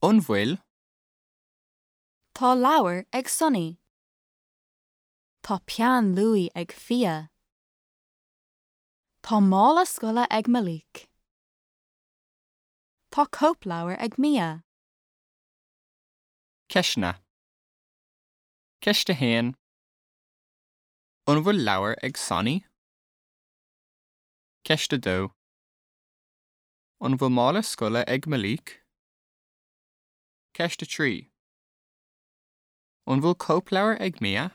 An bhfuil? Tá leabhar ag Sonny. Tá peann luaidhe ag Fia. Tá mála scoile ag Malik. Tá cóipleabhar ag Mia. Ceisteanna. Ceist 1. An bhfuil leabhar ag Sonny? Ceist 2. An bhfuil mála scoile ag Malik? Ceist 3. An bhfuil cóipleabhar ag Mia?